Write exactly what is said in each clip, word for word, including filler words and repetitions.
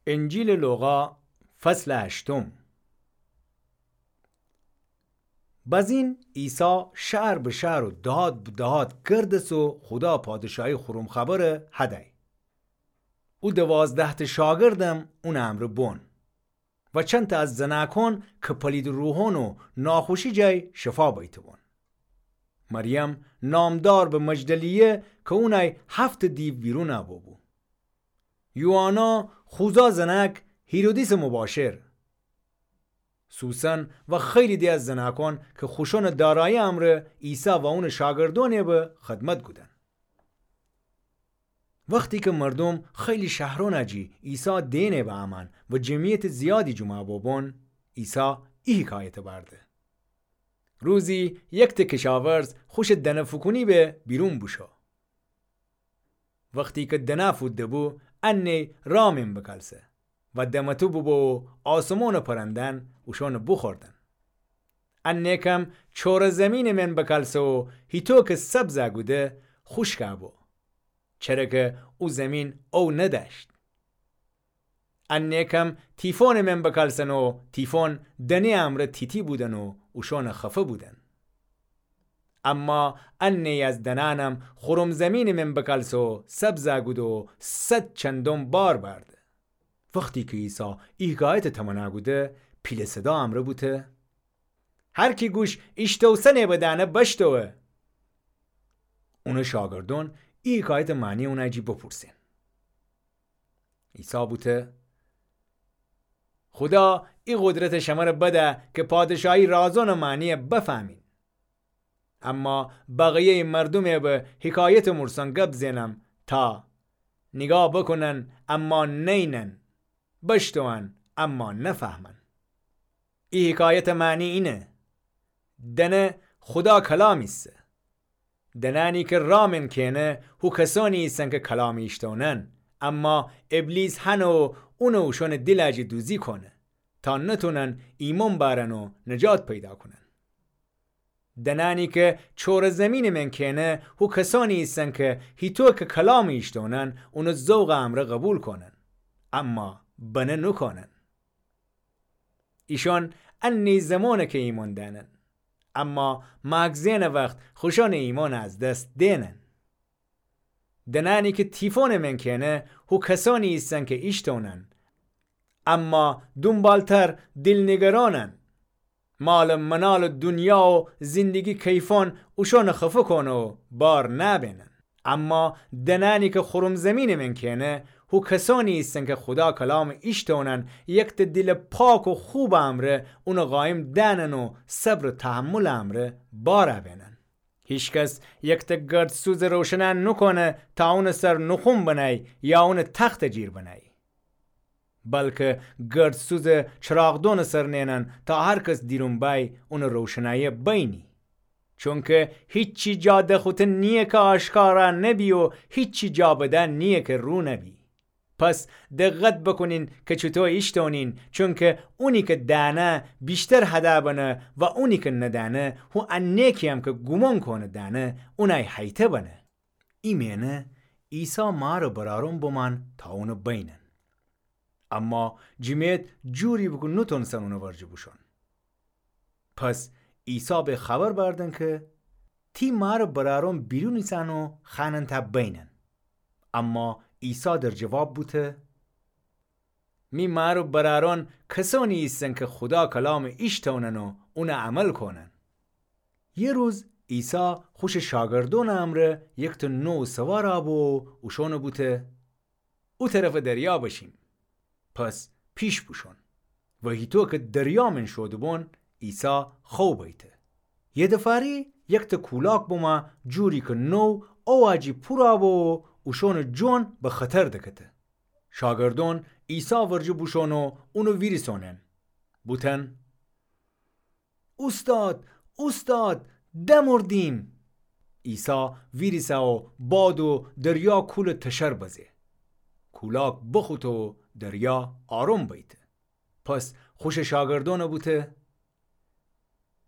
انجیلٚ لوقا، فصلٚ هشتم. بزین عیسی شهر به شهر و دهات به دهات گردس و خودا پادشاهی خورم خبر هدی. او دوازده‌تأ شاگردم اونٚ امرأ بون و چندتأ از زنأکأن که پلیدٚ روحأن و ناخوشی جای شفا بیته بون. مریم نامدار به مجدلیه که اونأی هفت‌تأ دیو بیرون ببو. یوحنا خوزا زنأک هیرودیسٚ مباشر. سوسن و خیلی دی از زنأکأن که خوشأنٚ دارایی امرأ عیسی و اونٚ شاگردأنٚ به خدمت کودن. وختی که مردوم خیلی شهرأنٚ جی عیسی دئنٚ به امأن و جمعیتٚ زیادی جمعه ببون، عیسی ای حکایت بأورده. روزی یکتأ کشاورز خوشٚ دنه فوکونی به بیرون بوشو. وختی که دنه فوده بو، انه راه من بکلسه و دمتو بوبو و آسمانٚ پرنده‌أن اوشأنٚ بوخوردن. انه کم چوره زیمینٚ من بکلسه و هیتو که سبز کوده، خوشک بو، چره که او زیمین او ندأشت. انه کم تیفونٚ من بکلسن و تیفون دنه امرأ تیتی بودن و اوشأن خفه بودن. اما انه از دنه‌أنم خورم زیمینٚ من بکلسه و سبز کوده و صد چندم بار بأرده. وختی که عیسی ای حکایتٚ تمنا کوده، پیله صدا امرأ بوته: هر کی گوش ایشتوسنه به دأنه بشتوه. اونٚ شاگردأن ای حکایتٚ معنی اونٚ جی بپورسن. عیسی بوته: خودا ای قدرت شمره بده که پادشاهی رازأنٚ معنی بفهمین. اما بقیه‌یٚ مردومٚ به حکایتٚ مورسان گب زئنم تا نیگاه بوکونن اما نئینن، بشتوون اما نفهمن. ای حکایتٚ معنی اینه: دنه خودا کلام ایسه. دنأنی که راه من کئنه، هو کسأنی ایسن که کلام ایشتونن، اما ابلیس هنه و اونٚ اوشأنٚ دیلٚ جی دوزی کونه، تا نتونن ایمأن بأرن و نجات پیدا کونن. دنأنی که چوره زیمینٚ من کئنه، هو کسأنی ایسن که هیتو که کلام ایشتونن، اونٚ ذوقٚ امرأ قوبیل کونن، اما بنه نوکونن. ایشأن انه زمأنه که ایمأن دأنن، اما مأگزینٚ وخت خوشأنٚ ایمأن از دس دئنن. دنأنی که تیفونٚ من کئنه، هو کسأنی ایسن که ایشتونن، اما دونبالتر دیل‌نگرانن. مالٚ منالٚ دونیا و زندگی کیفأن اوشأنٚ خفه کونه و بار نأبئنن. اما دنأنی که خورم زیمینٚ من کئنه، هو کسأنی ایسن که خودا کلام ایشتونن، یکتأ دیلٚ پاک و خوبٚ امرأ اونٚ قایم دأنن و صبر و تحملٚ امرأ بار بئنن. هیچکس یکتأ گردسوزٚ روشنأن نوکونه تا اونٚ سر نوخون بنأی یا اونٚ تختٚ جیر بنأی، بلکه گردسوزٚ چراغدونٚ سر نئنن تا هر کس دیرون بأی اونٚ روشنأیه بینی. چونکه هیچی جا دخوته نییه که آشکارا نبی و هیچی جا بده نییه که رو نبی. پس دقت بوکونین که چوطو ایشتونین، چونکه اونی که دأنه ویشتر هده بنه و اونی که ندأنه، هو انه کی‌یم که گومان کونه دأنه، اونأی هیته بنه. ایمأنه عیسی مارٚ برأرون بمأن تا اونٚ بینن. اما جمعیت جوری بو که نوتونستن اونٚ ورجه بوشون. پس عیسی به خبر بأردن که تی مارٚ برأرون بیرون ایسن و خوأنن تا بینن. اما عیسی در جواب بوته: می مارٚ برأرون کسأنی ایسن که خودا کلامٚ ایشتونن و اونٚ عمل کونن. یه روز عیسی خوشٚ شاگردونٚ امرأ یکتأ نوو سوار بو و اوشونٚ بوته: او طرفٚ دریا بشیم. پس پیش بوشون و هیطو که دریا من شوده‌بون، عیسی خو بیته. یه دفاری یکتأ کولاک بمأ، جوری که نوو اوأجی پورا بو و اوشونٚ جون به خطر دکته. شاگردون عیسی ورجه بوشون و اونٚ ویریسونن. بوتن: اوستاد، اوستاد، دمردیم! عیسی ویریسه و باد و دریا کولٚ تشر بزه. کولاک بخوته و دریا آروم بیته. پس خوشٚ شاگردونٚ بوته: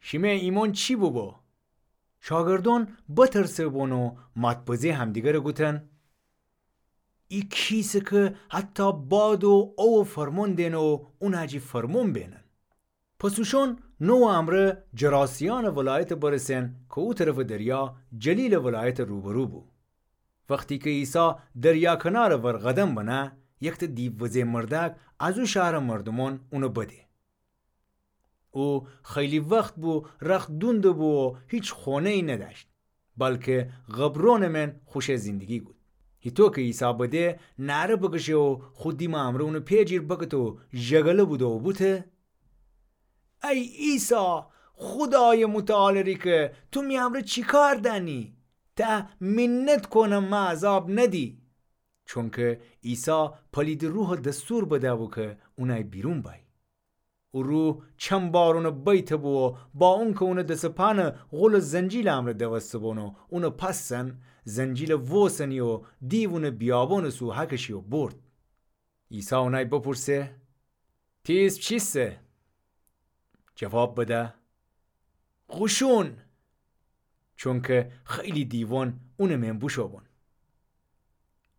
شیمه ایمون چی بوبو؟ شاگردون بترسه‌بون و مات‌بزه همدیگرٚ گوتن: ای کیسه کی حتی باد و اووَ فرمون دئنه و اونٚ جی فرمون بئنن. پس اوشون نووٚ امرأ جراسیأنٚ ولایتَ برسئن کی او طرفٚ دریا جلیلٚ ولایتٚ روبرو بو. وختی کی عیسی دریا کنارٚ ور قدم بنه، یکتأ دیووزه مردأک از او شهرٚ مردومأن اونَ بده. او خیلی وخت بو رخت دونده بو و هیچ خونه‌یی ندأشت، بلکی قبرونٚ مئن خوشٚ زندگی کود. هیطو کی عیسی بده، نعره بکشه و خو دیمٚ امرأ اونٚ پئجیر بکته و ژگله بوده و بوته: ای عیسی، خودایٚ متعالٚ ریکه، تو می امرأ چی کار دأنی؟ تأ منت کونم مه عذاب ندی. چونکی عیسی پلیدٚ روحَ دستور بدأ بو کی اونأی بیرون بأی. او روح چند بار اونَ بیته بو و با اونکی اونٚ دس و پانَ غولٚ زنجیلٚ امرأ دوسته بون و اونَ پسن، زنجیلَ ووسنی و دیو اونَ بیابونٚ سو هکشی و بورد. عیسی اونأی بپورسه: تی ایسم چیسه؟ جواب بده: قوشون. چونکی خیلی دیوأن اونٚ مئن بوشو بون.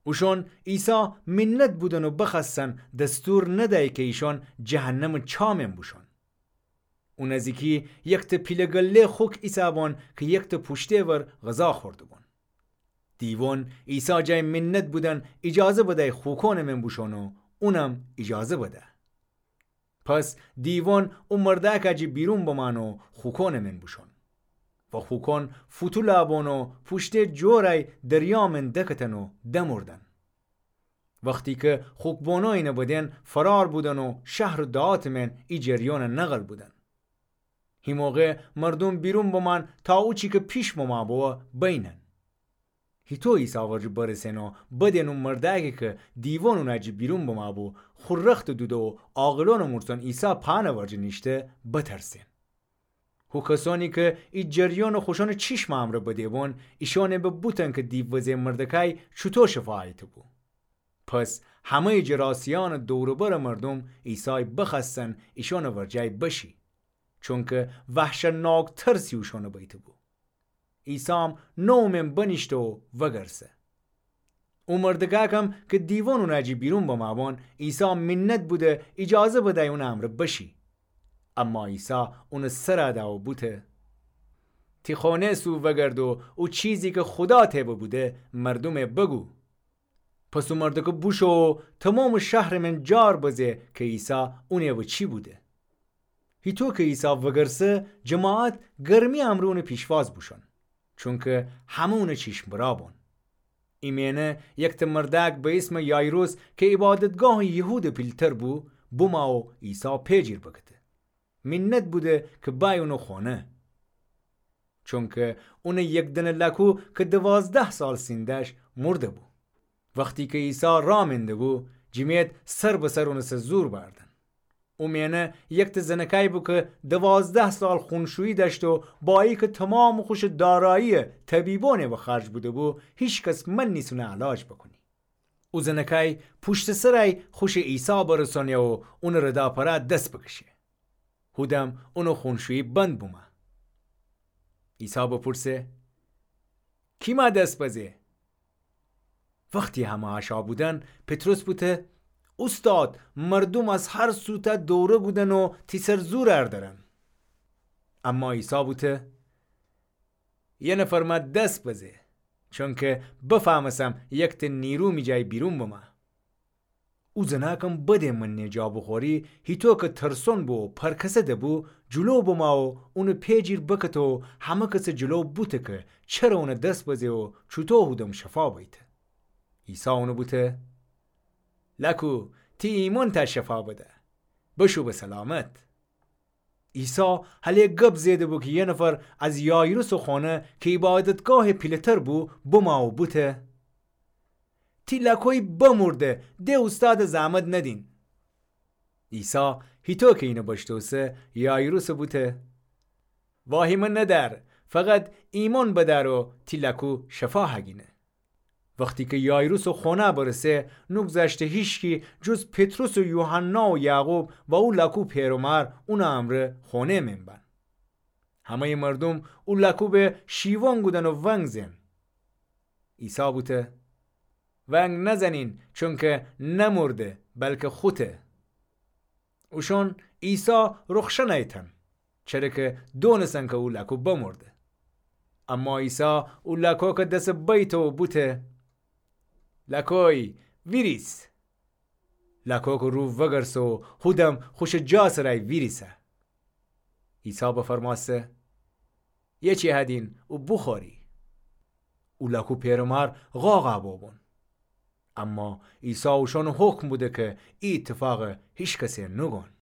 اوشون عیسی منت بودن و بخوأستن دستور ندأی کی ایشون جهنمٚ چا مئن بوشون. او نزیکی یکتأ پیله گله خوک ایسه‌بون کی یکتأ پوشته ور غذا خورده‌بون. دیوأن عیسی جای منت بودن ایجازه بدأی خوکونٚ مئن بوشون و اونم ایجازه بده. پس دیوأن او مردأکٚ جی بیرون بمأن و خوکونٚ مئن بوشون. و خوکون فوتو لأبون و پوشته جورأی دریا مئن دکتن و دمردن. وختی کی خوک‌بونویینَ بدن فرار بودن و شهر و دهاتٚ مئن ای جریانَ نقل بودن. هی موقع مردوم بیرون بمأن تا اوچی کی پیش بمأ ببه بینن. هیطو عیسی ورجه برسن و بدن او مردأکی کی دیوأن اونٚ جی بیرون بمأ بو خو رختَ دوده و عاقلونٚ مورسون عیسی پانٚ ورجه نیشته بترسن. هو کسأنی کی ای جریانَ خوشأنٚ چیشمٚ امرأ بده‌بون، ایشأنَ به بوتن کی دیووزه مردکأی چوطو شفا ایته‌بو. پس همه‌یٚ جراسیأنٚ دور و برٚ مردوم عیسای بخوأستن ایشأنٚ ورجه بشی، چونکی وحشتناک ترسی اوشأنَ بیته‌بو. عیسام نووٚ مئن بنیشته و وگرسه. او مردکأکم کی دیوأن اونٚ جی بیرون بمأ بون، عیسی منت بوده ایجازه بدأی اونٚ امرأ بشی. اما عیسی اونٚ سرَ دأ و بوته: تی خونه سو وگرد و او چیزی کی خودا ته ببوده مردومَ بگو. پس او مردکه بوشو و تومامٚ شهرٚ مئن جار بزه کی عیسی اونٚ وأ چی بوده. هیطو کی عیسی وگرسه، جماعت گرمی امرأ اونٚ پیشواز بوشون، چونکی همه اونٚ چیشمٚ برا بون. ایمأنه یکتأ مردأک به ایسمٚ یایروس کی عبادتگاهٚ یهودٚ پیلتر بو، بمأ و عیسی پئجیر بکته. منت بوده کی بأی اونٚ خونه. چونکی اونٚ یکدنه لأکو کی دوازده سال سین دأشت مرده‌بو. وختی کی عیسی راه مئنده‌بو، جمعیت سر به سر اونٚ سر زور بأردن. او مأنه یکتأ زنکأی بو کی دوازده سال خونشویی دأشت و با ایکه تومامٚ خوشٚ دارایی طبیبأنٚ وأ خرج بوده‌بو، هیکس منیس اونٚ علاج بکونی. او زنکأی پوشتٚ سرأی خوشٚ عیسی برسأنه و اونٚ رداپرا دس بکشه. هودم اونٚ خونشویی بند بومه. عیسی بپورسه: کی مأ دس بزه؟ وختی همه اشأ بودن، پطرس بوته: اوستاد، مردوم از هر سوتأ دوره کودن و تی سر زور اردرن. اما عیسی بوته: یه نفر مأ دس بزه، چونکی بفهمسم یکتأ نیرو می جای بیرون بمأ. او زنأکم بدٚ منه جا بوخوری، هیطو کی ترسون بو و پرکسده بو، جلو بمأ و اونٚ پئجیر بکته و همه کسٚ جلو بوته کی چره اونٚ دس بزه و چوطو هودم شفا بیته. عیسی اونٚ بوته: لأکو، تی ایمأن تأ شفا بده. بشو به سلامت. عیسی هله گب زئیده‌بو کی یه نفر از یایروسٚ خونه کی عبادتگاهٚ پیله‌تر بو، بمأ و بوته: تی لأکوی بمرده، د اوستادٚ زحمت ندین. عیسی هیطو کی اینه بشتوسه، یایروسٚ بوته: واهیمه ندأر، فقط ایمأن بدأر و تی لأکو شفا هگینه. وختی کی یایروسٚ خونه برسه، نوگذشته هیشکی جز پطرس و یوحنا و یعقوب و او لأکو پئر و مأر اونٚ امرأ خونه مئن بن. همه‌یٚ مردوم او لأکو به شیون کودن و ونگ زئن. عیسی بوته: ونگ نزنین، چونکه نمورده، بلکه خوته. اوشون عیسی روخشنأیتن، چره که دونسن که او لاکو بمورده. اما عیسی او لاکوکٚ دسٚ بیته و بوته: لاکوی، ویریس! لاکوکٚ رو وگرسه و هودم خوشٚ جا سرای ویریسه. عیسی بفرمأسته: یه چی هدین او بوخوری. او لاکو پئر و مار غاغ بوبون. اما عیسی اوشونٚ حکم بوده که ای ایتفاق هیکسه نوگون.